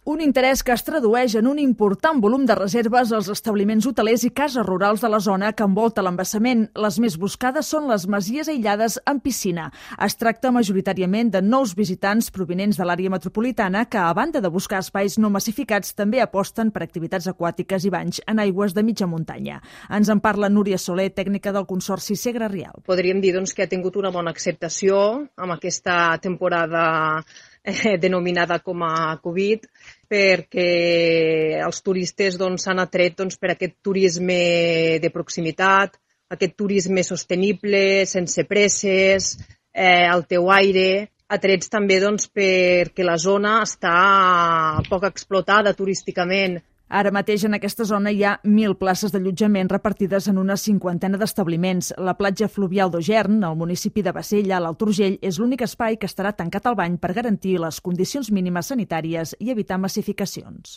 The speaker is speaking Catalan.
Un interès que es tradueix en un important volum de reserves als establiments hotelers i cases rurals de la zona que envolta l'embassament. Les més buscades són les masies aïllades amb piscina. Es tracta majoritàriament de nous visitants provinents de l'àrea metropolitana que, a banda de buscar espais no massificats, també aposten per activitats aquàtiques i banys en aigües de mitja muntanya. Ens en parla Núria Soler, tècnica del Consorci Segre Rialb. Podríem dir que ha tingut una bona acceptació amb aquesta temporada denominada com a Covid, perquè els turistes s'han atret per aquest turisme de proximitat, aquest turisme sostenible, sense presses, al teu aire, atrets també perquè la zona està poc explotada turísticament. Ara mateix en aquesta zona hi ha 1.000 places d'allotjament repartides en una 50 d'establiments. La platja fluvial d'Ogern, al municipi de Bassella, a l'Alt Urgell, és l'únic espai que estarà tancat al bany per garantir les condicions mínimes sanitàries i evitar massificacions.